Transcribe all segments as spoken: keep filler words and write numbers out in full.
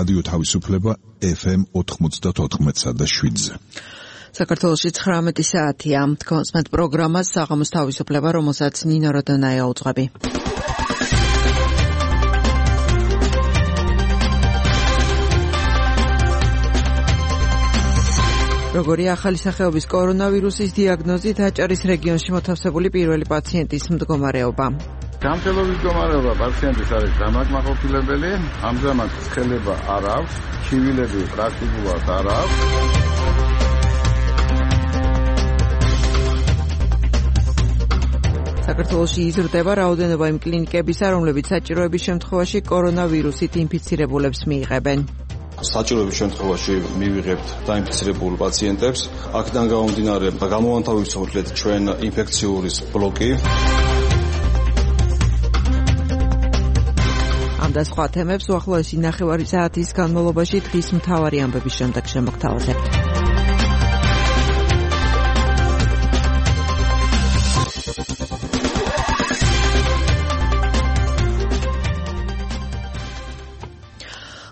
რადიო თავისუფლება ეფ ემ ოთხმოცდაოთხ და შვიდზე. საქართველოში ცხრამეტი საათია. კონსმეთ პროგრამას საღამოს თავისუფლება, რომელსაც ნინო როდონაია უძღვები. როგორია ახალი სახეობის კორონავირუსის დიაგნოზით აჭარის რეგიონში მოთავსებული პირველი პაციენტის მდგომარეობა. გამთელობის მდგომარეობა პაციენტის არის დამაკმაყოფილებელი, ამჟამად ცხელება არ აქვს, ჩივილები პრაქტიკულად არ აქვს. საქართველოში იზრდება რაოდენობა იმ კლინიკებისა, რომლებიც საჭიროების შემთხვევაში კორონავირუსით ინფიცირებულებს მიიღებენ. საჭიროების შემთხვევაში მივიღებთ დაინფიცირებულ პაციენტებს. აქედან გამომდინარე, გამოვანთავისუფლეთ ჩვენ ინფექციური ბლოკი. ამ და სხვა თემებს უახლოესი ნახევარი საათის განმავლობაში დღის მთავარი ამბების შემდეგ შემოგთავაზებთ.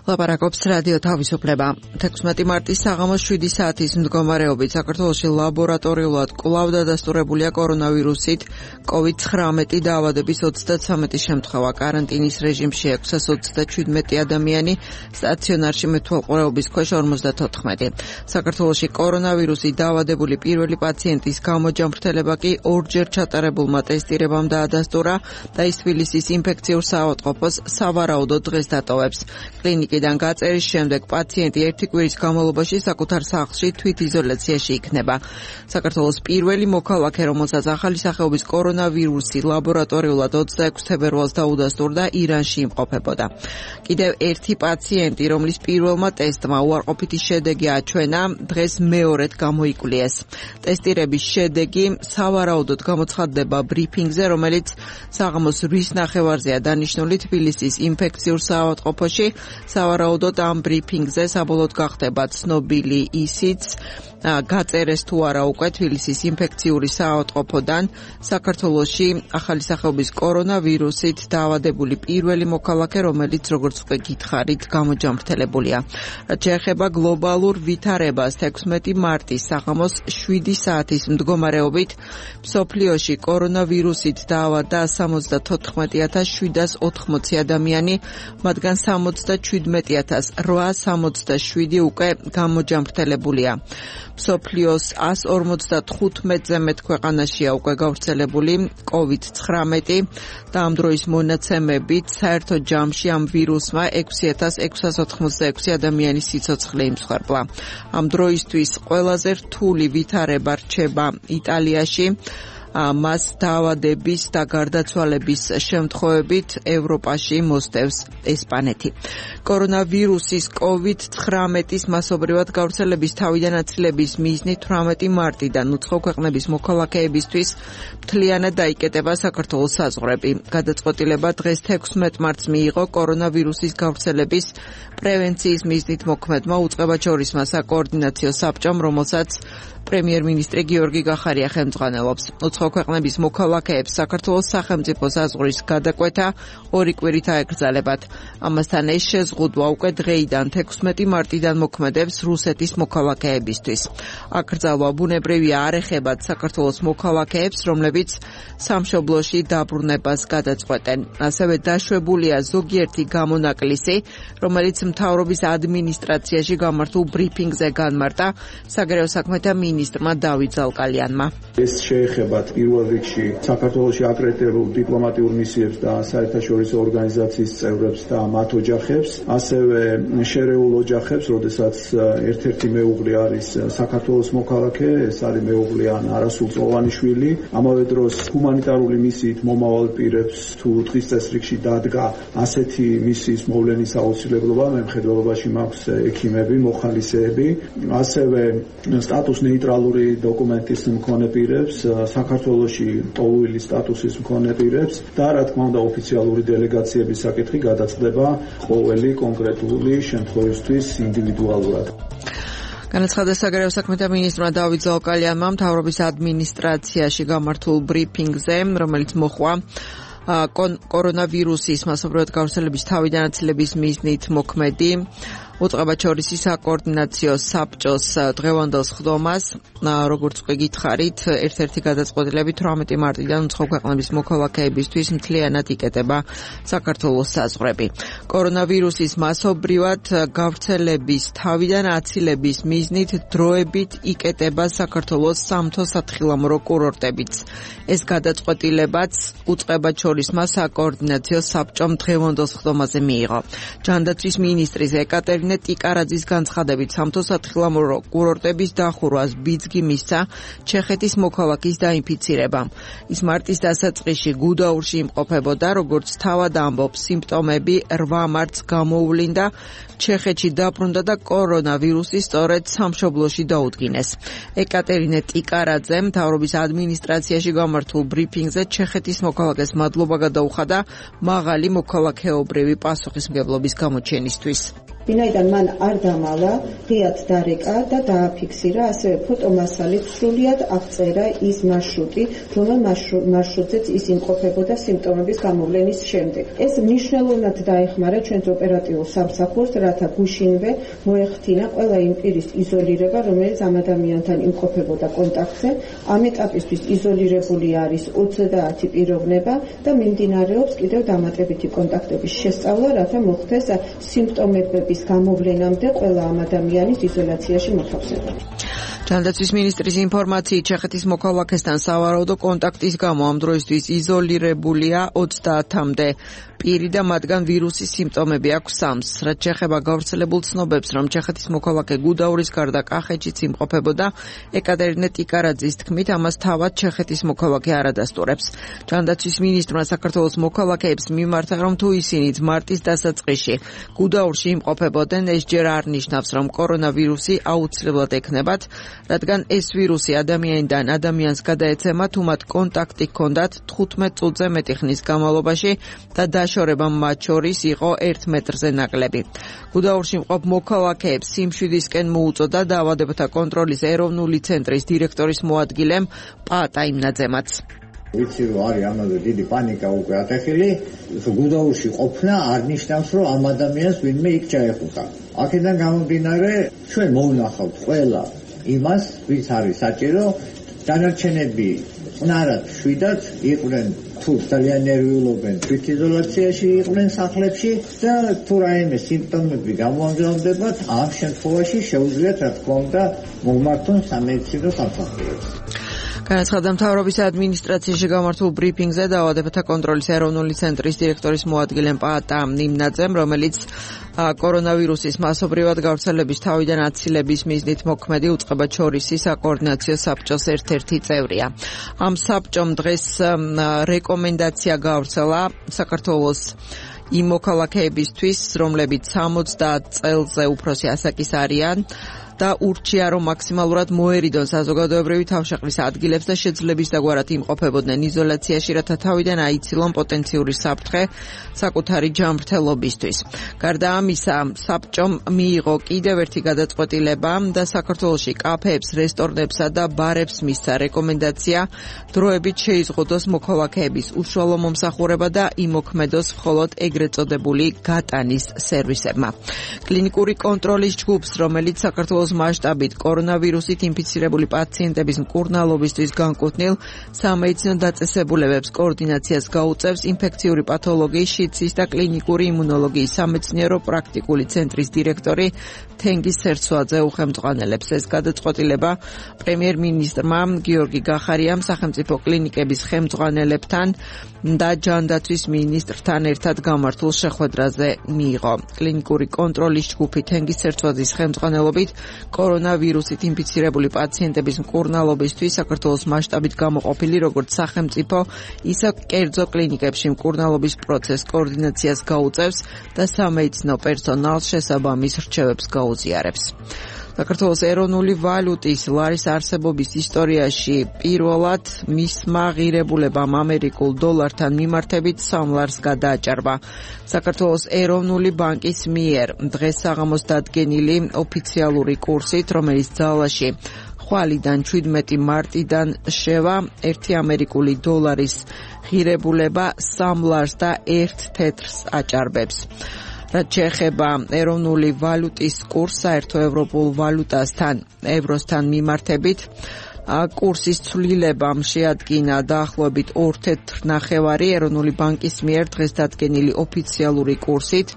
ლაპარაკობს რადიო თავისუფლება. თექვსმეტი მარტის საღამოს შვიდი საათის მდგომარეობით საქართველოში ლაბორატორიულად კვლავ დადასტურებულია კორონავირუსით კოვიდ ცხრამეტი დაავადების ოცდათვრამეტი შემთხვევა. კარანტინის რეჟიმში ექვსას ოცდაჩვიდმეტი ადამიანი, სტაციონარში მეთვალყურეობის ქვეშ ორმოცდათოთხმეტი. საქართველოში კორონავირუსით დაავადებული პირველი პაციენტის გამოჯამრთელება კი ორჯერ ჩატარებულმა ტესტირებამ დაადასტურა და ის თბილისის ინფექციურ საავადმყოფოს სავარაუდოდ დღეს დატოვებს. კლინიკიდან გაწერის შემდეგ პაციენტი ერთი კვირის განმავლობაში საკუთარ სახლში თვითიზოლაციაში იქნება. საქართველოს პირველი მოქალაქე, რომელსაც ახალი სახეობის კორონავირუსი ლაბორატორიულად ოცდაექვსი თებერვალს დაუდასტურდა, ირანში იმყოფებოდა. კიდევ ერთი პაციენტი, რომლის პირველმა ტესტმა უარყოფითი შედეგი აჩვენა, დღეს მეორედ გამოიკვლიეს. ტესტირების შედეგი სავარაუდოდ გამოცხადდება ბრიფინგზე, რომელიც საღამოს რვის ნახევარზეა დანიშნული თბილისის ინფექციურ საავადმყოფოში. სავარაუდოდ ამ ბრიფინგზე საბოლოოდ გახდება ცნობილი ისიც, გაწერეს თუ არა უკვე თბილისის ინფექციური საავადმყოფოდან საქართველოში ახალი სახეობის კორონავირუსით დაავადებული პირველი მოქალაქე, რომელიც როგორც უკვე გითხარით, გამოჯამრთელებულია. რაც შეეხება გლობალურ ვითარებას, თექვსმეტი მარტის საღამოს შვიდი საათის მდგომარეობით მსოფლიოში კორონავირუსით დაავადდა სამოცდათოთხმეტი ათას შვიდას ოთხმოცი ადამიანი, მათგან სამოცდაჩვიდმეტი ათას რვაას სამოცდაშვიდი უკვე გამოჯამრთელებულია. მსოფლიოს ასს ორმოცდათხუთმეტზე მეტ ქვეყანაშია უკვე გავრცელებული კოვიდ ცხრამეტი და ამ დროის მონაცემებით საერთო ჯამში ამ ვირუსმა ექვსი ათას ექვსას ოთხმოცდაექვსი ადამიანის სიცოცხლე იმსხვერპლა. ამ დროისთვის ყველაზე რთული ვითარება რჩება იტალიაში. მას დაავადების და გარდაცვალების შემთხვევებით ევროპაში მოსდევს ესპანეთი. კორონავირუსის კოვიდ ცხრამეტის მასობრივად გავრცელების თავიდან აცილების მიზნით თვრამეტი მარტიდან უცხო ქვეყნების მოქალაქეებისთვის მთლიანად დაიკეტება საქართველოს საზღვრები. გადაწყვეტილება დღეს თექვსმეტ მარტს მიიღო კორონავირუსის გავრცელების პრევენციის მიზნით მოქმედმა უწყებაჩორისმა საკოორდინაციო საბჭომ, რომელსაც პრემიერ-მინისტრი გიორგი გახარია ხელმძღვანელობს. უცხო ქვეყნების მოქალაქეებს საქართველოს სახელმწიფო საზღვრის გადაკვეთა ორი კვირით აეკრძალებათ. ამასთან ეს შეზღუდვა უკვე დღეიდან თექვსმეტი მარტიდან მოქმედებს რუსეთის მოქალაქეებისთვის. აკრძალვა ბუნებრივია არ ეხებათ საქართველოს მოქალაქეებს, რომლებიც სამშობლოში დაბრუნებას გადაწყვეტენ. ასევე დაშვებულია ზოგიერთი გამონაკლისი, რომელიც მთავრობის ადმინისტრაციაში გამართულ ბრიფინგზე განმარტა საგარეო საქმეთა მინისტრმა დავით ზალკალიანმა. ეს შეეხება პირველ რიგში საქართველოში აკრედიტებულ დიპლომატიურ მისიებს და საერთაშორისო ორგანიზაციის წევრებს და მათ ოჯახებს, ასევე შერეულ ოჯახებს, როდესაც ერთ-ერთი მეუღლე არის საქართველოს მოქალაქე, ეს არის მეუღლე ან არასრულწლოვანი შვილი. ამავე დროს ჰუმანიტარული მისიით მომავალ პირებს თუ დღის წესრიგში დადგა ასეთი მისიის მოვლენის აუცილებლობა, მემხედველობაში მაქვს ექიმები, მოხალისეები, ასევე სტატუს ნეიტრალური დოკუმენტის მქონე პირებს, საქართველოში ტოლუილი სტატუსის მქონე პირებს და რა თქმა უნდა ოფიციალური დელეგაციების საკითხი გადაწყდება ყოველი კონკრეტული შემთხვევისთვის ინდივიდუალურად. განაცხადა საგარეო საქმეთა მინისტრმა დავით ზალკალიანმა მთავრობის ადმინისტრაციაში გამართულ ბრიფინგზე, რომელიც მოხვა კორონავირუსის მასობრივად გავრცელების თავიდან აცილების მიზნით მოქმედი უწყებაჩორისი საკოორდინაციო საბჭოს დღევანდელ სხდომას, როგორც უკვე გითხარით, ერთ-ერთი გადაწყვეტილებით თვრამეტი მარტიდან უცხო ქვეყნების მოქალაქეებისთვის მთლიანად იკეტება საქართველოს საზღვრები. კორონავირუსის მასობრივად გავრცელების თავიდან აცილების მიზნით დროებით იკეტება საქართველოს სამთო-სათხილამურო კურორტებიც. ეს გადაწყვეტილებაც უწყებაჩორისმა საკოორდინაციო საბჭომ დღევანდელ სხდომაზე მიიღო. ჯანდაცვის მინისტრის ეკატერინე ტიკარაძის განცხადებით სამთო-სათხილამურო კურორტების დახურვას ბიძგი მისცა ჩეხეთის მოქალაქის დაინფიცირებამ. ის მარტის დასაწყისში გუდაურში იმყოფებოდა, როგორც თავად ამბობს, სიმპტომები რვა მარტს გამოუვლინდა, ჩეხეთში დაბრუნდა და კორონავირუსი სწორედ სამშობლოში დაუდგინეს. ეკატერინე ტიკარაძე მთავრობის ადმინისტრაციაში გამართულ ბრიფინგზე ჩეხეთის მოქალაქეს მადლობა გადაუხადა მაღალი მოქალაქეობრივი პასუხისმგებლობის გამოჩენისთვის. ვინაიდან მან არ დამალა, ღიად დარეკა და დააფიქსირა, ასევე ფოტომასალით სრულიად აღწერა ის მარშრუტი, რომელ მარშრუტზეც ის იმყოფებოდა სიმპტომების გამოვლენის შემდეგ. ეს მნიშვნელოვნად დაეხმარა ჩვენს ოპერატიულ სამსახურს, რათა გუშინვე მოეხთინა ყველა იმ პირის იზოლირება, რომელიც ამ ადამიანთან იმყოფებოდა კონტაქტზე. ამ ეტაპისთვის იზოლირებული არის ოცდაათი პიროვნება და მიმდინარეობს კიდევ დამატებითი კონტაქტების შესწავლა, რათა მოხდეს სიმპტომები გამოვლენამდე ყველა ამ ადამიანის იზოლაციაში მოთავსება. ჯანდაცვის მინისტრის ინფორმაციით ჩეხეთის მოქალაქესთან სავარაუდო კონტაქტის გამო ამ დროისთვის იზოლირებულია ოცდაათამდე პირი და მათგან ვირუსის სიმპტომები აქვს სამს. რაც შეეხება გავრცელებულ ცნობებს, რომ ჩეხეთის მოქალაქე გუდაურის გარდა კახეთშიც იმყოფებოდა, ეკატერინე ტიკარაძის თქმით, ამას თავად ჩეხეთის მოქალაქე არ ადასტურებს. ჯანდაცვის მინისტრმა საქართველოს მოქალაქეებს მიმართა, რომ თუ ისინიც მარტის დასაწყისში გუდაურში იმყოფებოდნენ, ეს ჯერ არ ნიშნავს, რომ კორონავირუსი აუცილებლად ექნებათ, რადგან ეს ვირუსი ადამიანიდან ადამიანს გადაეცემა, თუ მათ კონტაქტი ჰქონდათ თხუთმეტ წუთზე მეტი ხნის განმავლობაში და დაშორება მათ შორის იყო ერთ მეტრზე ნაკლები. გუდაურში მყოფ მოქალაქეებს სიმშვიდისკენ მოუწოდა დაავადებათა კონტროლის ეროვნული ცენტრის დირექტორის მოადგილემ პაატა იმნაძემაც. ვიცი რომ არის ამაზე დიდი პანიკა უკვე ატეხილი, გუდაურში ყოფნა არ ნიშნავს რომ ამ ადამიანს ვინმე იქ ჩაეხუტა. აქედან გამომდინარე ჩვენ მოვნახავთ ყველა იმას, ვის არის საჭირო, დანარჩენები წნარად შვიდად იყვნენ თუ ძალიან ნერვიულობენ თვითიზოლაციაში იყვნენ სახლებში და თუ რაიმე სიმპტომები გამოამჟღავნდებათ, ამ შემთხვევაში შეუძლიათ რა თქმა უნდა მომართონ სამედიცინო სამსახურებს. განაცხადა მთავრობის ადმინისტრაციაში გამართულ ბრიფინგზე დაავადებათა კონტროლის ეროვნული ცენტრის დირექტორის მოადგილემ პაატა იმნაძემ, რომელიც კორონავირუსის მასობრივად გავრცელების თავიდან აცილების მიზნით მოქმედი უწყებაჩორისი საკოორდინაციო საბჭოს ერთ-ერთი წევრია. ამ საბჭომ დღეს რეკომენდაცია გავრცელა საქართველოს იმ მოქალაქეებისთვის, რომლებიც სამოცდაათ წელზე უფროსი ასაკის არიან და ურჩია, რომ მაქსიმალურად მოერიდონ საზოგადოებრივი თავშეყრის ადგილებს და შეძლების დაგვარად იმყოფებოდნენ იზოლაციაში, რათა თავიდან აიცილონ პოტენციური საფრთხე საკუთარი ჯანმრთელობისთვის. გარდა ამისა, საბჭომ მიიღო კიდევ ერთი გადაწყვეტილება და საქართველოში კაფეებს, რესტორნებსა და ბარებს მისცა რეკომენდაცია დროებით შეიზღუდოს მოქალაქეების უშუალო მომსახურება და იმოქმედოს მხოლოდ ეგრეთ წოდებული გატანის სერვისებმა. კლინიკური კონტროლის ჯგუფს, რომელიც საქართველოს მასშტაბით კორონავირუსით ინფიცირებული პაციენტების მკურნალობისთვის განკუთვნილ სამედიცინო დაწესებულებებს კოორდინაციას გაუწევს ინფექციური პათოლოგიის, შიდსის და კლინიკური იმუნოლოგიის სამეცნიერო პრაქტიკული ცენტრის დირექტორი თენგიზ სერცვაძე უხელმძღვანელებს. ეს გადაწყვეტილება პრემიერ-მინისტრმა გიორგი გახარიამ სახელმწიფო კლინიკების ხელმძღვანელებთან და ჯანდაცვის მინისტრთან ერთად გამართულ შეხვედრაზე მიიღო. კლინიკური კონტროლის ჯგუფი თენგიზ სერცვაძის ხელმძღვანელობით კორონავირუსით ინფიცირებული პაციენტების მკურნალობისთვის საქართველოს მასშტაბით გამოყოფილი როგორც სახელმწიფო, ისე კერძო კლინიკებში მკურნალობის პროცესს კოორდინაციას გაუწევს და სამედიცინო პერსონალს შესაბამის რჩევებს გაუზიარებს. საქართველოს ეროვნული ვალუტის ლარის არსებობის ისტორიაში პირველად მისმა ღირებულებამ ამერიკულ დოლართან მიმართებით სამ ლარს გადააჭარბა. საქართველოს ეროვნული ბანკის მიერ დღეს საღამოს დადგენილი ოფიციალური კურსით, რომელიც ძალაში ხვალიდან შვიდმეტი მარტიდან შევა ერთი ამერიკული დოლარის ღირებულება სამ ლარს და ერთ თეთრს აჭარბებს. რაც შეეხება ეროვნული ვალუტის კურსს საერთო ევროპულ ვალუტასთან ევროსთან მიმართებით, კურსის ცვლილებამ შეადგინა დაახლოებით ორ თეთრ ნახევარი ეროვნული ბანკის მიერ დღეს დადგენილი ოფიციალური კურსით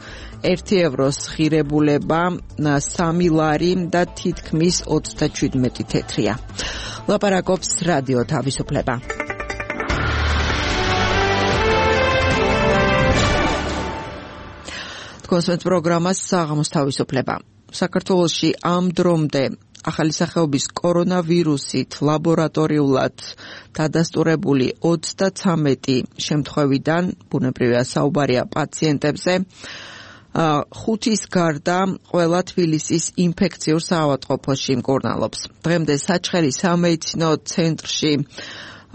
ერთი ევროს ღირებულება სამი ლარი და თითქმის ოცდაშვიდმეტი თეთრია. ლაპარაკობს რადიო თავისუფლება. თქვენს პროგრამას საღამოს თავისუფლება. საქართველოში ამ დრომდე ახალი სახეობის კორონავირუსით ლაბორატორიულად დადასტურებული ოცდაცამეტი შემთხვევიდან, ბუნებრივია საუბარია პაციენტებზე, ხუთის გარდა ყველა თბილისის ინფექციურ საავადმყოფოში მკურნალობს. დღემდე საჩხერის სამედიცინო ცენტრში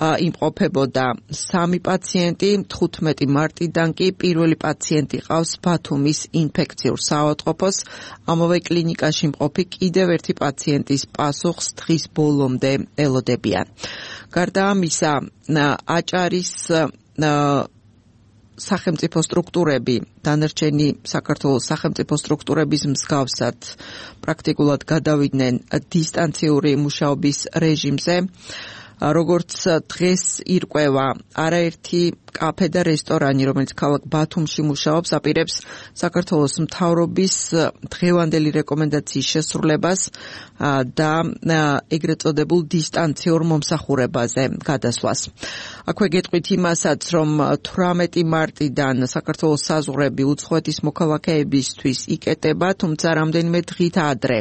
იმყოფებოდა სამი პაციენტი, თხუთმეტი მარტიდან კი პირველი პაციენტი ყავს ბათუმის ინფექციურ საავადმყოფოს. ამავე კლინიკაში მყოფი კიდევ ერთი პაციენტის პასუხს დღის ბოლომდე ელოდებიან. გარდა ამისა, აჭარის სახელმწიფო სტრუქტურები, დანარჩენი საქართველოს სახელმწიფო სტრუქტურების მსგავსად პრაქტიკულად გადავიდნენ დისტანციური მუშაობის რეჟიმზე. როგორც დღეს ირკვევა, არაერთი კაფე და რესტორანი, რომელიც ქალაქ ბათუმში მუშაობს, აპირებს საქართველოს მთავრობის დღევანდელი რეკომენდაციის შესრულებას და ეგრეთ წოდებულ დისტანციურ მომსახურებაზე გადასვლას. აქვე გეტყვით იმასაც, რომ თვრამეტი მარტიდან საქართველოს საზღვრები უცხოეთის მოქალაქეებისთვის იკეტება, თუმცა რამდენიმე დღით ადრე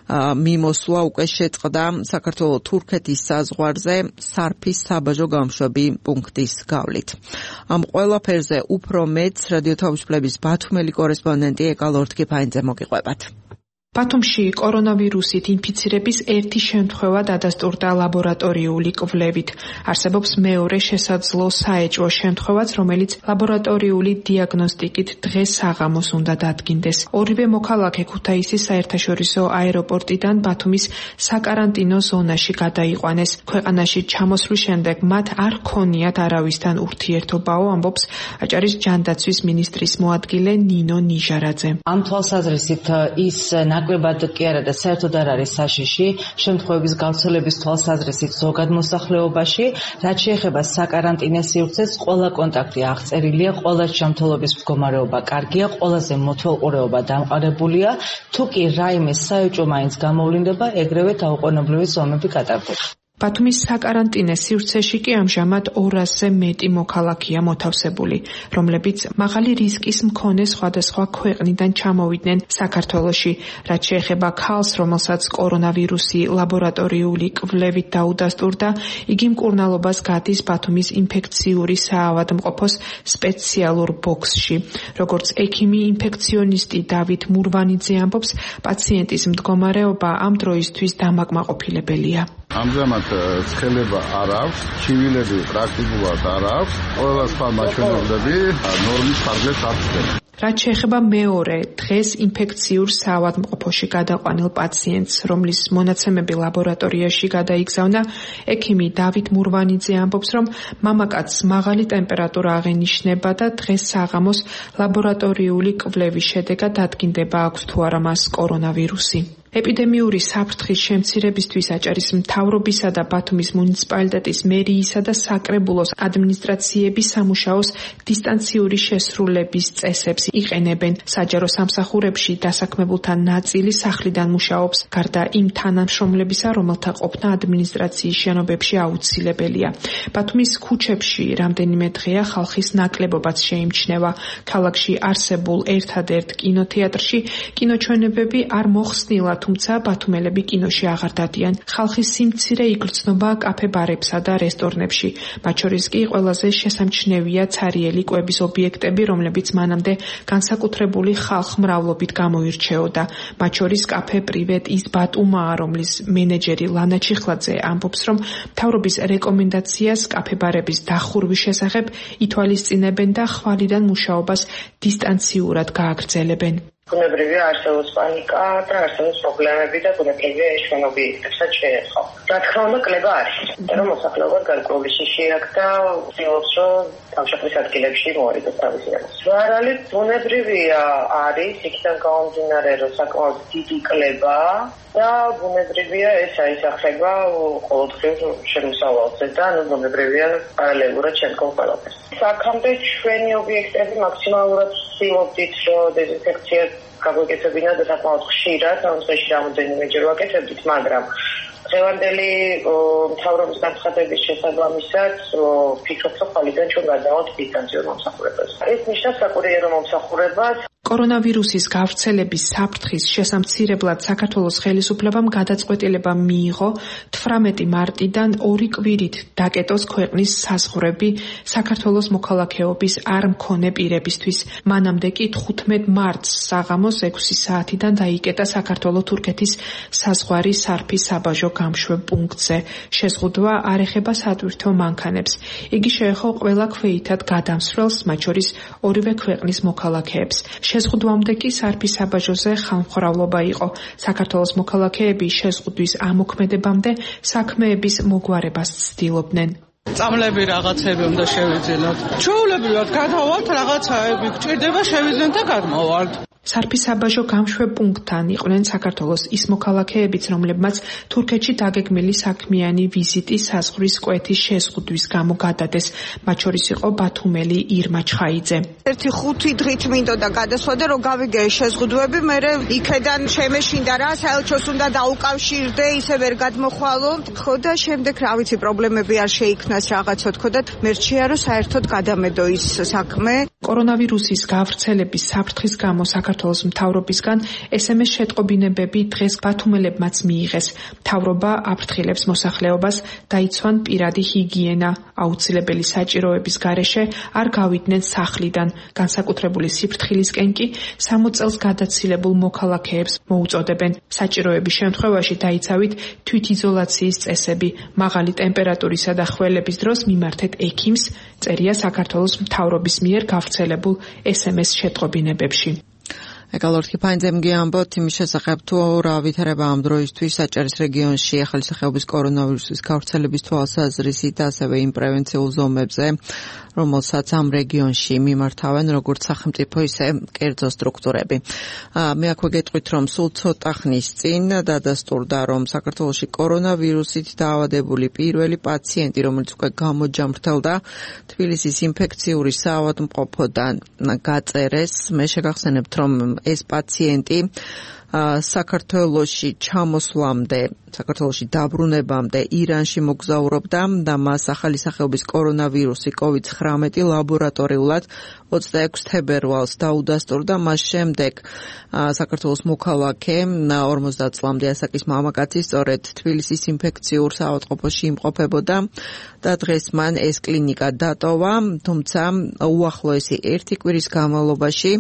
მიმოსვლა უკვე შეწყდა საქართველო-თურქეთის საზღვარზე სარფის საბაჟო გამშვები პუნქტის გავლით. ამ ყველაფერზე უფრო მეც რადიო თავისუფლების ბათუმელი კორესპონდენტი ეკალორ თქიფაინძე მოგიყვებათ. ბათუმში კორონავირუსით ინფიცირების ერთი შემთხვევა დადასტურდა ლაბორატორიული კვლევით. არსებობს მეორე შესაძლო საეჭვო შემთხვევაც, რომელიც ლაბორატორიული დიაგნოსტიკით დღეს საღამოს უნდა დადგინდეს. ორივე მოქალაქე ქუთაისის საერთაშორისო აეროპორტიდან ბათუმის საკარანტინო ზონაში გადაიყვანეს. ქვეყანაში ჩამოსვლის შემდეგ მათ არ ჰქონიათ არავისთან ურთიერთობაო, ამბობს აჭარის ჯანდაცვის მინისტრის მოადგილე ნინო ნიჟარაძე. ამ თვალსაზრისით ის ნაკლებად კი არა და საერთოდ არ არის საშიში შემთხვევების გავრცელების თვალსაზრისით ზოგად მოსახლეობაში. რაც შეეხება საკარანტინო სივრცეს, ყველა კონტაქტი აღწერილია, ყველა ჯანმრთელობის მდგომარეობა კარგია, ყველაზე მotvelყურეობა დამყარებულია. თუ კი რაიმე საეჭვო მაინც გამოვლინდება, ეგრევე დაუყოვნებლივი ზომები გატარდება. ბათუმის საკარანტინე სივრცეში კი ამჟამად ორასზე მეტი მოქალაქეა მოთავსებული, რომლებიც მაღალი რისკის მქონე სხვადასხვა ქვეყნიდან ჩამოვიდნენ საქართველოში. რაც შეეხება ქალს, რომელსაც კორონავირუსი ლაბორატორიული კვლევით დაუდასტურდა, იგი მკურნალობას გადის ბათუმის ინფექციური საავადმყოფოს სპეციალურ ბოქსში. როგორც ექიმი ინფექციონისტი დავით მურვანიძე ამბობს, პაციენტის მდგომარეობა ამ დროისთვის დამაკმაყოფილებელია. ამჟამად ცხელება არ აქვს, ჩივილები პრაქტიკულად არ აქვს, ყველა სხვა მაჩვენებლები ნორმის ფარგლებს აღწევს. რაც შეეხება მეორე დღეს ინფექციურ საავადმყოფოში გადაყვანილ პაციენტს, რომლის მონაცემები ლაბორატორიაში გადაიგზავნა, ექიმი დავით მურვანიძე ამბობს, რომ მამაკაცს მაღალი ტემპერატურა აღენიშნება და დღეს საღამოს ლაბორატორიული კვლევის შედეგად დადგინდება აქვს თუ არა მას კორონავირუსი. ეპიდემიური საფრთხის შემცირებისთვის აჭარის მთავრობისა და ბათუმის მუნიციპალიტეტის მერიისა და საკრებულოს ადმინისტრაციების სამუშაოს დისტანციური შესრულების წესებს იყენებენ. საჯარო სამსახურებში დასაქმებულთა ნაწილი სახლიდან მუშაობს, გარდა იმ თანამშრომლებისა, რომელთა ყოფნა ადმინისტრაციის შენობებში აუცილებელია. ბათუმის ქუჩებში რამდენიმე დღეა ხალხის ნაკლებობაც შეიმჩნევა. ქალაქში არსებულ ერთადერთ კინოთეატრში კინოჩვენებები არ მოხსნილა, თუმცა ბათუმელები კინოში აღარ დადიან. ხალხის სიმცირე იგრძნობა კაფე-ბარებსა და რესტორნებში. მათ შორის კი ყველაზე შესამჩნევია ცარიელი კვების ობიექტები, რომლებიც მანამდე განსაკუთრებული ხალხმრავლობით გამოირჩეოდა. მათ შორის კაფე პრივეტ ის ბატუმაა, რომლის მენეჯერი ლანა ჩიხლაძე ამბობს, რომ მთავრობის რეკომენდაციას კაფე-ბარების დახურვის შესახებ ითვალისწინებენ და ხვალიდან მუშაობას დისტანციურად გააგრძელებენ. ბუნებრივია არსებობს პანიკა და არსებობს პრობლემები და ბუნებრივია ეს ჩვენ ობიექტებსაც შეეხო. რა თქმა უნდა, კლება არის. რომ მოსახლეობა გარკვეული შიში აქვს და ცდილობს, რომ თავშეყრის ადგილებში მოერიდოს თავისი რამოს. რა არის ბუნებრივია არის, იქიდან გამომდინარე, რომ საკმაოდ დიდი კლება და ბუნებრივია ეს აისახება ყოველდღიურ შემოსავალზე და ანუ ბუნებრივია პარალელურად შემდგომ ყველაფერს. აქამდე ჩვენი ობიექტები მაქსიმალურად ვცდილობდით, რომ დეზინფექცია გაგვეკეთებინა და საკმაოდ ხშირად, ანუ წელში რამოდენიმეჯერ ვაკეთებდით, მაგრამ დღევანდელი მთავრობის განცხადების შესაბამისად ვფიქრობ, რომ ხვალიდან ჩვენ გადავართ დისტანციურ მომსახურებას. ეს ნიშნავს საკურიერო მომსახურებას. კორონავირუსის გავრცელების საფრთხის შესამცირებლად საქართველოს ხელისუფლებამ გადაწყვეტილება მიიღო თვრამეტი მარტიდან ორი კვირით დაკეტოს ქვეყნის საზღვრები საქართველოს მოქალაქეობის არ მქონე პირებისთვის. მანამდე კი თხუთმეტ მარტს საღამოს ექვსი საათიდან დაიკეტა საქართველო-თურქეთის საზღვარი სარფის საბაჟო გამშვებ პუნქტზე. შეზღუდვა არ ეხება სატვირთო მანქანებს. იგი შეეხო ყველა ქვეითად გადამსვლელს, მათ შორის ორივე ქვეყნის მოქალაქეებს. შეზღუდვამდე კი სარფის საბაჟოზე ხალხმრავლობა იყო. საქართველოს მოქალაქეები შეზღუდვის ამოქმედებამდე საქმეების მოგვარებას ცდილობდნენ. წამლები რაღაცები უნდა შევიძინოთ. ჩვეულებრივად გადავალთ, რაღაცაები გჭირდება შევიძინოთ და გადმოვართ. სარფის საბაჟო გამშვებ პუნქტთან იყვნენ საქართველოს ის მოქალაქეებიც, რომლებმაც თურქეთში დაგეგმილი საქმიანი ვიზიტი საზღვრის კვეთის შეზღუდვის გამო გადადეს. მათ შორის იყო ბათუმელი ირმა ჩხაიძე. ერთი ხუთი დღით მინდოდა გადასვლა და რომ გავიგე შეზღუდვები, მე იქედან შემეშინდა რა, საელჩოს უნდა დაუკავშირდე, ისე ვერ გადმოხვალო. ხო და შემდეგ რა ვიცი, პრობლემები არ შეიქმნას რაღაცა თქო და მერჩია რომ საერთოდ გადამედო ის საქმე. კორონავირუსის გავრცელების საფრთხის გამო საქართველოს მთავრობისგან ეს ემ ეს შეტყობინებები დღეს ბათუმელებმაც მიიღეს. მთავრობა აფრთხილებს მოსახლეობას დაიცვან პირადი ჰიგიენა, აუცილებელი საჭიროების გარეშე არ გავიდნენ სახლიდან. განსაკუთრებული სიფრთხილისკენ კი სამოც წელს გადაცილებულ მოქალაქეებს მოუწოდებენ. საჭიროების შემთხვევაში დაიცავით თვითიზოლაციის წესები. მაღალი ტემპერატურისა და ხველების დროს მიმართეთ ექიმს, წერია საქართველოს მთავრობის მიერ გავრცელებულ ეს ემ ეს შეტყობინებებში. ეკალორთი ფაინძემ გიამბოთ იმის შესახებ თუ რა ვითარება ამ დროისთვის საჭარის რეგიონში ახალისახეობის კორონავირუსის გავრცელების თვალსაზრისით, ასევე იმ პრევენციულ ზომებზე, რომელსაც ამ რეგიონში მიმართავენ როგორც სახელმწიფო, ისე კერძო სტრუქტურები. მე აქვე გეტყვით, რომ სულ ცოტა ხნის წინ დადასტურდა, რომ საქართველოში კორონავირუსით დაავადებული პირველი პაციენტი, რომელიც უკვე გამოჯამრთელდა, თბილისის ინფექციური საავადმყოფოდან გაწერეს. მე შეგახსენებთ, რომ ეს პაციენტი საქართველოში ჩამოსვლამდე, საქართველოში დაბრუნებამდე ირანში მოგზაურობდა და მას ახალი სახეობის კორონავირუსი კოვიდ ცხრამეტი ლაბორატორიულად ოცდაექვსი თებერვალს დაუდასტურდა. მას შემდეგ საქართველოს მოქალაქე ორმოცდაათ წლამდე ასაკის მამაკაცი სწორედ თბილისის ინფექციურ საავადმყოფოში იმყოფებოდა და დღეს მან ეს კლინიკა დატოვა, თუმცა უახლოესი ერთი კვირის განმავლობაში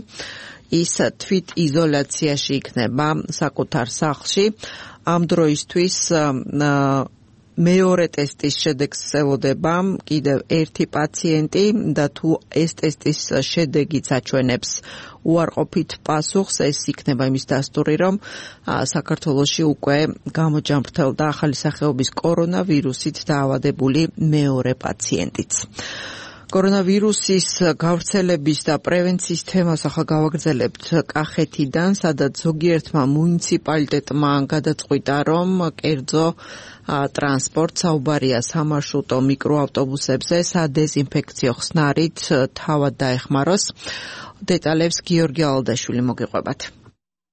ის თვით იზოლაციაში იქნება საკუთარ სახლში. ამ დროისთვის მეორე ტესტის შედეგს ელოდება კიდევ ერთი პაციენტი და თუ ეს ტესტის შედეგიც აჩვენებს უარყოფით პასუხს, ეს იქნება იმის დასტური, რომ საქართველოში უკვე გამოჯამრთელდა ახალი სახეობის კორონავირუსით დაავადებული მეორე პაციენტიც. კორონავირუსის გავრცელების და პრევენციის თემას ახლა გავაგრძელებთ კახეთიდან, სადაც ზოგიერთმა მუნიციპალიტეტმა გადაწყვიტა, რომ კერძო ტრანსპორტს საუბარია სამარშრუტო მიკროავტობუსებზე სადეზინფექციო ხსნარით თავად დაეხმაროს. დეტალებს გიორგი ალდაშვილი მოგიყვებათ.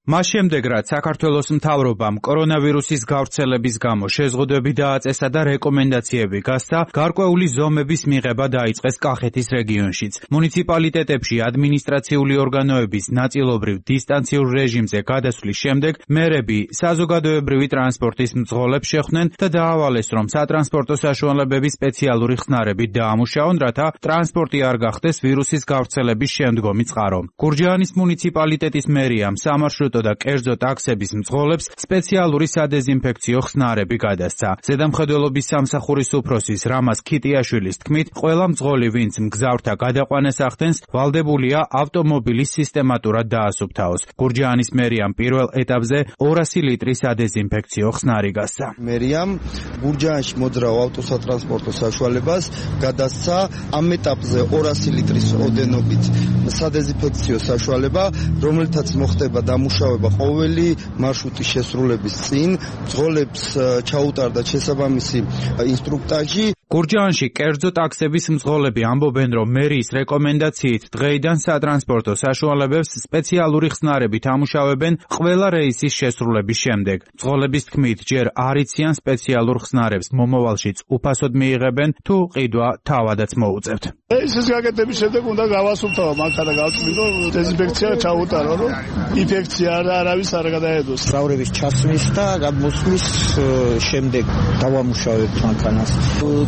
მას შემდეგ, რაც საქართველოს მთავრობამ კორონავირუსის გავრცელების გამო შეზღუდვები დააწესა და რეკომენდაციები გასცა, გარკვეული ზომების მიღება დაიწყეს კახეთის რეგიონშიც. მუნიციპალიტეტებში ადმინისტრაციული ორგანოების ნაწილობრივ დისტანციურ რეჟიმზე გადასვლის შემდეგ მერები საზოგადოებრივი ტრანსპორტის მძღოლებს შეხვდნენ და დაავალეს, რომ სატრანსპორტო საშუალებები სპეციალური ხსნარებით დაამუშავონ, რათა ტრანსპორტი არ გახდეს ვირუსის გავრცელების შემდგომი წყარო. გურჯაანის მუნიციპალიტეტის მერიამ სამარშრუტო სამარშრუტო და კერძო ტაქსების მძღოლებს სპეციალური სადეზინფექციო ხსნარები გადასცა. ზედამხედველობის სამსახურის უფროსის რამაზ ქიტიაშვილის თქმით, ყველა მძღოლი, ვინც მგზავრთა გადაყვანას ახდენს, ვალდებულია ავტომობილის სისტემატურად დაასუფთავოს. გურჯაანის მერიამ პირველ ეტაპზე ორასი ლიტრის სადეზინფექციო ხსნარი გასცა. მერიამ გურჯაანში მოძრაო ავტოსატრანსპორტო საშუალებას გადასცა ამ ეტაპზე ორასი ლიტრის ოდენობით სადეზინფექციო საშუალება, რომელთაც მოხდება დამუშავება ყოველი მარშრუტის შესრულების წინ, მძღოლებს ჩაუტარდა შესაბამისი ინსტრუქტაჟი. გურჯაანში კერძო ტაქსების მძღოლები ამბობენ, რომ მერიის რეკომენდაციით დღეიდან სატრანსპორტო საშუალებებს სპეციალური ხსნარებით ამუშავებენ ყველა რეისის შესრულების შემდეგ. მძღოლების თქმით, ჯერ არ იციან სპეციალურ ხსნარებს მომავალშიც უფასოდ მიიღებენ, თუ ყიდვა თავადაც მოუწევთ. რეისის გაკეთების შემდეგ უნდა გავასუფთავო მაგთა და გავწმინდო დეზინფექცია ჩაუტარო, რომ ინფექცია არავის არ გადაედოს. მგზავრების ჩასვლის და გამოსვლის შემდეგ დავამუშავებთ მანქანას.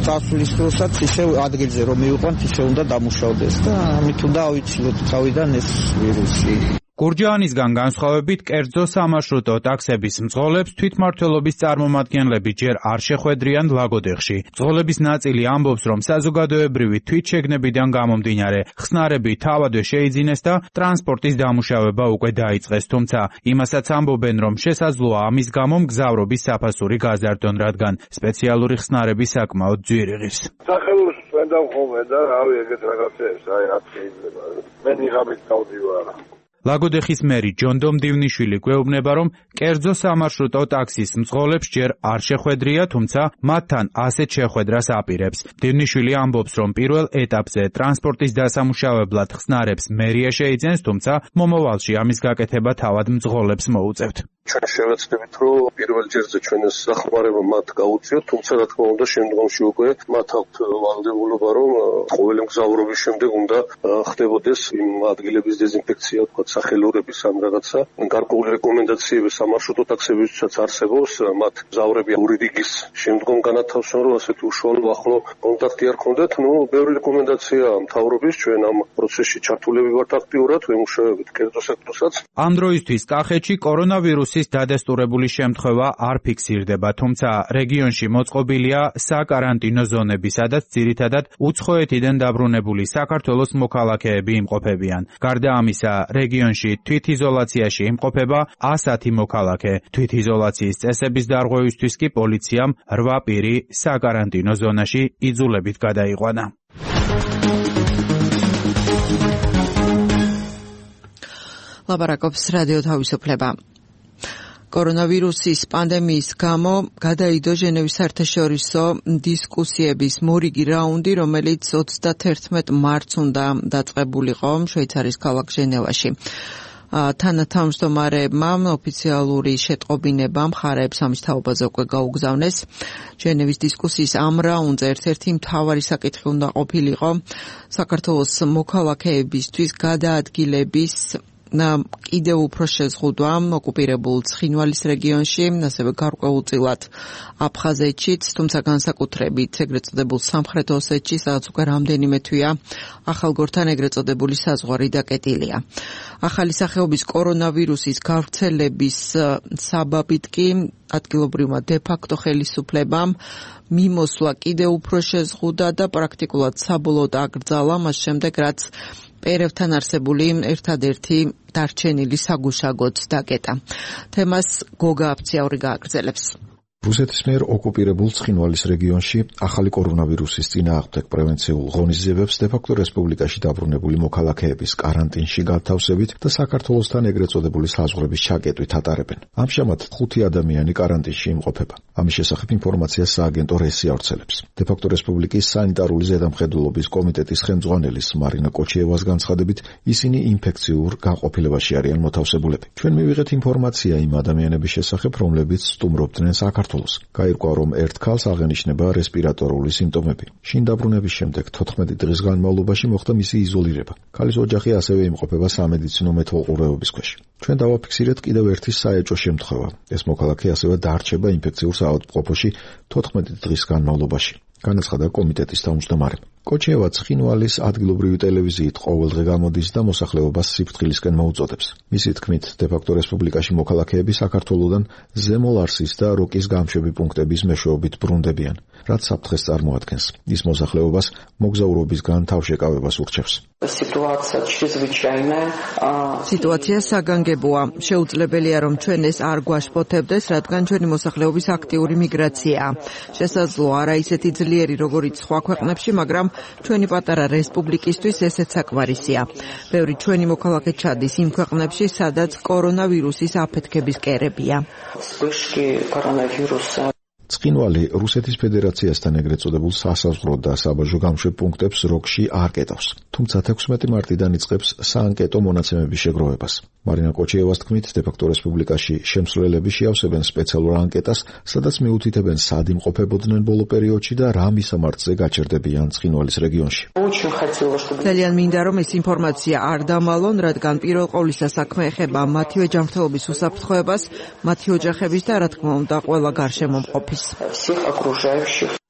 წასვლის დროსაც ისე ადგილზე რომ მივიყვანთ, ისე უნდა დამუშავდეს და ამით უნდა ავიცილოთ თავიდან ეს ვირუსი. გურჯაანისგან განსხვავებით, კერძო სამარშრუტო ტაქსების მძღოლებს თვითმმართველობის წარმომადგენლები ჯერ არ შეხვედრიან ლაგოდეხში. მძღოლების ნაწილი ამბობს, რომ საზოგადოებრივი თვითშეგნებიდან გამომდინარე ხსნარები თავადვე შეიძინეს და ტრანსპორტის დამუშავება უკვე დაიწყეს, თუმცა იმასაც ამბობენ, რომ შესაძლოა ამის გამო მგზავრობის საფასური გაზარდონ, რადგან სპეციალური ხსნარები საკმაოდ ძვირიღის. სახელოს ვენდა ხოლმე და რავი ეგეთ რაღაცებს, აი რაც შეიძლება. მე ნიღაბით დავდივარ. ლაგოდეხის მერი ჯონდომ დივნიშვილი გვეუბნება, რომ კერძო სამარშრუტო ტაქსის მძღოლებს ჯერ არ შეხვედრია, თუმცა მათთან ასეთ შეხვედრას აპირებს. დივნიშვილი ამბობს, რომ პირველ ეტაპზე ტრანსპორტის დასამუშავებლად ხსნარებს მერია შეიძენს, თუმცა მომავალში ამის გაკეთება თავად მძღოლებს მოუწევთ. ჩვენ შევეცდებით, რომ პირველ ჯერზე ჩვენ ეს სახმარება მათ გაუწიოთ, თუმცა რა თქმა უნდა შემდგომში უკვე მათ აქვთ ვალდებულება, რომ ყოველი მგზავრობის შემდეგ უნდა ხდებოდეს იმ ადგილების დეზინფექცია, თქვა სახელურების ან რაღაცა გარკვეული რეკომენდაციები სამარშრუტო ტაქსებისთვისაც არსებობს, მათ მგზავრები ორი რიგის შემდგომ განათავსონ, რომ ასეთი უშუალო ახლო კონტაქტი არ ქონდეთ. ნუ ბევრი რეკომენდაცია მთავრობის, ჩვენ ამ პროცესში ჩართულები ვართ აქტიურად, ვემუშავებით კერძო სექტორსაც. ამ დროისთვის კახეთში კორონავირუსის დადასტურებული შემთხვევა არ ფიქსირდება, თუმცა რეგიონში მოწყობილია საკარანტინო ზონები, სადაც ძირითადად უცხოეთიდან დაბრუნებული საქართველოს მოქალაქეები იმყოფებიან. გარდა ამისა, რეგიონში თვითიზოლაციაში იმყოფება ასათი მოქალაქე. თვითიზოლაციის წესების დარღვევისთვის კი პოლიციამ რვა პირი საკარანტინო ზონაში იძულებით გადაიყვანა. ლაპარაკობს რადიო თავისუფლება. კორონავირუსის პანდემიის გამო გადაიდო ჟენევის საერთაშორისო დისკუსიების მორიგი რაუნდი, რომელიც ოცდათერთმეტ მარტს უნდა დაწყებულიყო შვეიცარიის ქალაქ ჟენევაში. თანათავმჯდომარეებმა ოფიციალური შეტყობინება მხარეებს ამის თაობაზე უკვე გაუგზავნეს. ჟენევის დისკუსიის ამ რაუნდზე ერთ-ერთი მთავარი საკითხი უნდა ყოფილიყო საქართველოს მოქალაქეებისთვის გადაადგილების კიდევ უფრო შეზღუდვა ოკუპირებულ ცხინვალის რეგიონში, ასევე გარკვეულწილად აფხაზეთშიც, თუმცა განსაკუთრებით ეგრეთ წოდებულ სამხრეთ ოსეთში, სადაც უკვე რამდენიმე თვეა ახალგორთან ეგრეთ წოდებული საზღვარი დაკეტილია. ახალი სახეობის კორონავირუსის გავრცელების საბაბით კი ადგილობრივმა დე-ფაქტო ხელისუფლებამ მიმოსვლა კიდევ უფრო შეზღუდა და პრაქტიკულად საბოლოოდ აკრძალა მას შემდეგ, რაც პერევთან არსებული ერთადერთი დარჩენილი საგუშაგოც დაკეტა. თემას გოგა აფციაური გააგრძელებს. რუსეთის მიერ ოკუპირებულ ცხინვალის რეგიონში ახალი კორონავირუსის წინააღმდეგ პრევენციულ ღონისძიებებს დე-ფაქტო რესპუბლიკაში დაბრუნებული მოქალაქეების კარანტინში გათავსებით და საქართველოსთან ეგრეთ წოდებული საზღვრების ჩაკეტვით ატარებენ. ამჟამად ხუთი ადამიანი კარანტინში იმყოფება. ამის შესახებ ინფორმაციას სააგენტო რესი ავრცელებს. დე-ფაქტო რესპუბლიკის სანიტარული ზედამხედველობის კომიტეტის ხელმძღვანელის მარინა კოჩიევას განცხადებით, ისინი ინფექციურ განყოფილებაში არიან მოთავსებულები. ჩვენ მივიღეთ ინფორმაცია იმ ადამიანების შესახებ, რომლებიც სტუმრობდნენ საქართველოს. გაირკვა, რომ ერთ ქალს აღენიშნება რესპირატორული სიმპტომები. შინ დაბრუნების შემდეგ თოთხმეტი დღის განმავლობაში მოხდა მისი იზოლირება. ქალის ოჯახი ასევე იმყოფება სამედიცინო მეთვალყურეობის ქვეშ. ჩვენ დავაფიქსირეთ კიდევ ერთი საეჭვო შემთხვევა. ეს მოქალაქე ასევე დარჩება ინფექციურ საავადმყოფოში თოთხმეტი დღის განმავლობაში. განაცხადა კომიტეტის თავმჯდომარემ. კოჩიევა ცხინვალის ადგილობრივი ტელევიზიით ყოველდღე გამოდის და მოსახლეობას სიფრთხილისკენ მოუწოდებს. მისი თქმით, დე-ფაქტო რესპუბლიკაში მოქალაქეები საქართველოდან ზემო ლარსის და როკის გამშვები პუნქტების მეშვეობით ბრუნდებიან, რაც საფრთხეს წარმოადგენს. ის მოსახლეობას მოგზაურობისგან თავშეკავებას ურჩევს. სიტუაცია საგანგებოა. შეუძლებელია, რომ ჩვენ ეს არ გვაშფოთებდეს, რადგან ჩვენი მოსახლეობის აქტიური მიგრაციაა. შესაძლოა არა ისეთი ძლიერი, როგორიც სხვა ქვეყნებში, მაგრამ ჩვენი პატარა რესპუბლიკისთვის ესეც საკმარისია. ბევრი ჩვენი მოქალაქე ჩადის იმ ქვეყნებში, სადაც კორონავირუსის აფეთქების კერებია. ცხინვალი რუსეთის ფედერაციასთან ეგრეთ წოდებულ სასაზღვრო და საბაჟო გამშვებ პუნქტებს როკში არ კეტავს, თუმცა თექვსმეტი მარტიდან იწყებს საანკეტო მონაცემების შეგროვებას. მარინა კოჩიევას თქმით, დე-ფაქტო რესპუბლიკაში შემსვლელები შეავსებენ სპეციალურ ანკეტას, სადაც მიუთითებენ სად იმყოფებოდნენ ბოლო პერიოდში და რა მისამართზე გაჩერდებიან ცხინვალის რეგიონში. ძალიან მინდა, რომ ეს ინფორმაცია არ დამალონ, რადგან პირველ ყოვლისა საქმე ეხება მათივე ჯანმრთელობის უსაფრთხოებას, მათი ოჯახების და რა თქმა უნდა ყველა გარშემომყოფის.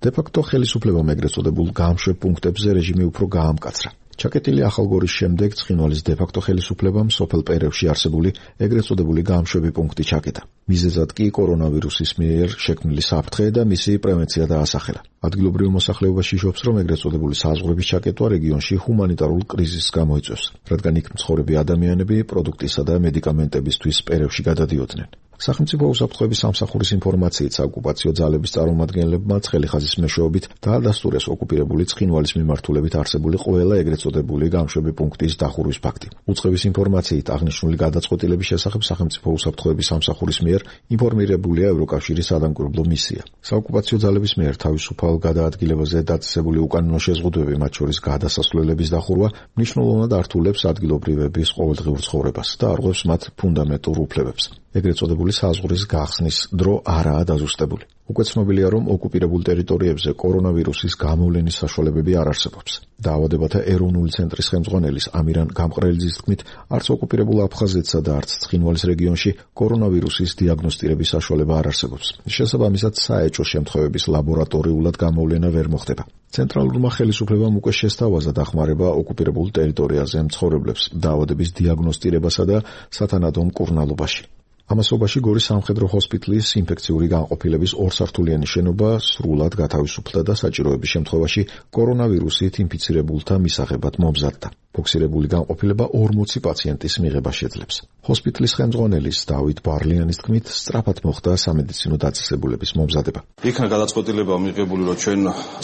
დე-ფაქტო ხელისუფლებამ ეგრეთ წოდებულ გამშვებ პუნქტებზე რეჟიმი უფრო გაამკაცრა. ჩაკეტილი ახალგორის შემდეგ ცხინვალის დე-ფაქტო ხელისუფლებამ სოფელ პერევში არსებული ეგრეთ წოდებული გამშვები პუნქტი ჩაკეტა. მიზეზად კი კორონავირუსის მიერ შექმნილი საფრთხე და მისი პრევენცია დაასახელა. ადგილობრივ მოსახლეობაში იშობს, რომ ეგრეთ წოდებული საზღვრების ჩაკეტვა რეგიონში ჰუმანიტარულ კრიზისს გამოიწვევს, რადგან იქ მცხოვრები ადამიანები პროდუქტისა და მედიკამენტებისთვის პერევში გადადიოდნენ. სახელმწიფო უსაფრთხოების სამსახურის ინფორმაციით საოკუპაციო ძალების წარმომადგენლებმა ცხელი ხაზის მეშვეობით დაადასტურეს ოკუპირებული ცხინვალის მიმართულებით არსებული ყველა ეგრეთ წოდებული გამშვები პუნქტის დახურვის ფაქტი. უწყების ინფორმაციით აღნიშნული გადაწყვეტილების შესახებ სახელმწიფო უსაფრთხოების სამსახურის მიერ ინფორმირებულია ევროკავშირის სადამკვირვებლო მისია. საოკუპაციო ძალების მიერ თავისუფალ გადაადგილებაზე დაწესებული უკანონო შეზღუდვები, მათ შორის გადასასვლელების დახურვა, მნიშვნელოვნად ართულებს ადგილობრივების ყოველდღიურ ცხოვრებას და არღვევს მათ ფუნდამენტურ უფლებებს. ეგრეთ წოდებული საზღვრის გახსნის დრო არაა დაზუსტებული. უკვე ცნობილია, რომ ოკუპირებულ ტერიტორიებზე კორონავირუსის გამოვლენის საშუალებები არ არსებობს. დაავადებათა ეროვნული ცენტრის ხელმძღვანელის ამირან გამყრელიძის თქმით, არც ოკუპირებულ აფხაზეთსა და არც ცხინვალის რეგიონში კორონავირუსის დიაგნოსტირების საშუალება არ არსებობს. შესაბამისად, საეჭვო შემთხვევების ლაბორატორიულად გამოვლენა ვერ მოხდება. ცენტრალურმა ხელისუფლებამ უკვე შესთავაზა დახმარება ოკუპირებულ ტერიტორიაზე მცხოვრებლებს დაავადების დიაგნოსტირებასა და სათანადო მკურნალობაში. ამასობაში გორის სამხედრო ჰოსპიტალის ინფექციური განყოფილების ორსართულიანი შენობა სრულად გათავისუფლდა და საჭიროების შემთხვევაში კორონავირუსით ინფიცირებულთა მისაღებად მომზადდა. ფოქსირებული განყოფილება ორმოცი პაციენტის მიღებას შეძლებს. ჰოსპიტალის ხელმძღვანელის დავით ბარლიანის თქმით, სწრაფად მოხდა სამედიცინო დაწესებულების მომზადება. იქნა გადაწყვეტილება მიღებული, რომ ჩვენ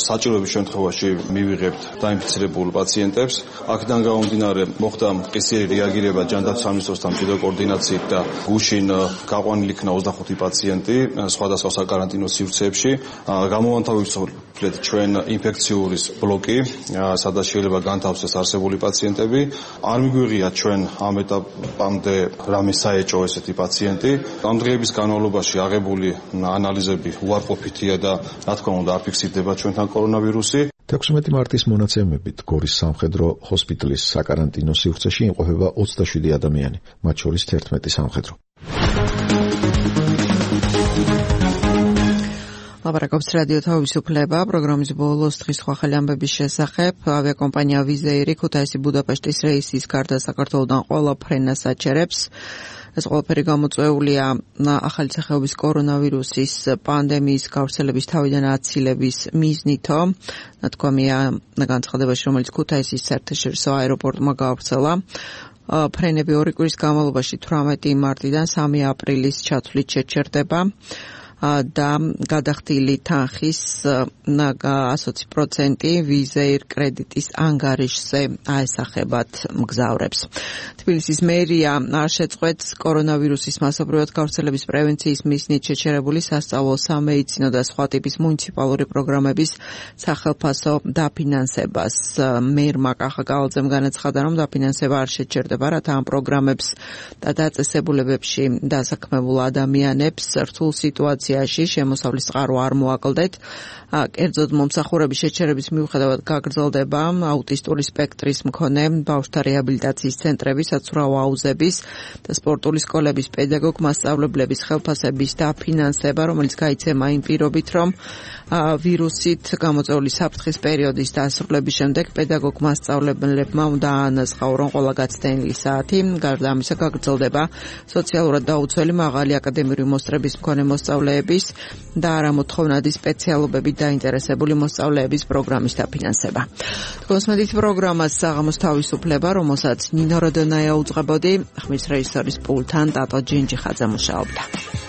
საჭიროების შემთხვევაში მივიღებთ დაინფიცირებულ პაციენტებს. აქედან გამომდინარე, მოხდა მყისიერი რეაგირება ჯანდაცვის სამინისტროსთან მჭიდრო კოორდინაციით და გუშინ გაყვანილი იქნა ოცდახუთი პაციენტი სხვადასხვა საკარანტინო სივრცეებში. გამოვანთავისუფლეთ ჩვენ ინფექციური ბლოკი, სადაც შეიძლება განთავსდეს არსებული პაციენტები. არ მიგვიღია ჩვენ ამ ეტაპამდე რამე საეჭვო ესეთი პაციენტი. ამ დღეების განმავლობაში აღებული ანალიზები უარყოფითია და რა თქმა უნდა არ ფიქსირდება ჩვენთან კორონავირუსი. თექვსმეტი მარტის მონაცემებით გორის სამხედრო ჰოსპიტალის საკარანტინო სივრცეში იმყოფება ოცდაშვიდი ადამიანი, მათ შორის თერთმეტი სამხედრო. ლაპარაკობს რადიო თავისუფლება, პროგრამის ბოლოს დღის სხვა ახალი ამბების შესახებ. ავიაკომპანია ვიზეირი ქუთაისი ბუდაპეშტის რეისის გარდა საქართველოდან ყველა ფრენას აჩერებს. ეს ყველაფერი გამოწვეულია ახალი სახეობის კორონავირუსის პანდემიის გავრცელების თავიდან აცილების მიზნითო. ნათქვამია განცხადებაში, რომელიც ქუთაისის საერთაშორისო აეროპორტმა გავრცელა. ფრენები ორი კვირის განმავლობაში თვრამეტი მარტიდან სამი აპრილის ჩათვლით შეჩერდება. და გადახდილი თანხის ოცი პროცენტი ვიზეირ კრედიტის ანგარიშზე აესახებათ მგზავრებს. თბილისის მერია არ შეწყვეტს კორონავირუსის მასობრივად გავრცელების პრევენციის მიზნით შეჩერებული სასწავლო, სამედიცინო და სხვა ტიპის მუნიციპალური პროგრამების სახელფასო დაფინანსებას. მერმა კახა კალაძემ განაცხადა, რომ დაფინანსება არ შეჩერდება, რათა ამ პროგრამებს და დაწესებულებებში დასაქმებულ ადამიანებს რთულ სიტუაციაში ინსტიტუციაში შემოსავლის წყარო არ მოაკლდეთ. კერძოდ მომსახურების შეჩერების მიუხედავად გაგრძელდება აუტისტური სპექტრის მქონე ბავშვთა რეაბილიტაციის ცენტრების, საცურაო აუზების და სპორტული სკოლების პედაგოგ მასწავლებლების ხელფასების დაფინანსება, რომელიც გაიცემა იმ პირობით, რომ ვირუსით გამოწვეული საფრთხის პერიოდის დასრულების შემდეგ პედაგოგ მასწავლებლებმა უნდა აანაცხაურონ ყველა გაცდენილი საათი. გარდა ამისა გაგრძელდება სოციალურად დაუცველი მაღალი აკადემიური მოსწრების მქონე მოსწავლეების და არამოთხოვნადი სპეციალობებით დაინტერესებული მოსწავლეების პროგრამის დაფინანსება. თქოსმედით პროგრამას საღამოს თავისუფლება, რომელსაც ნინო როდონაია უძღვებოდი, ხმის რეჟისორის პულტთან ტატო ჯინჯიხაძე მუშაობდა.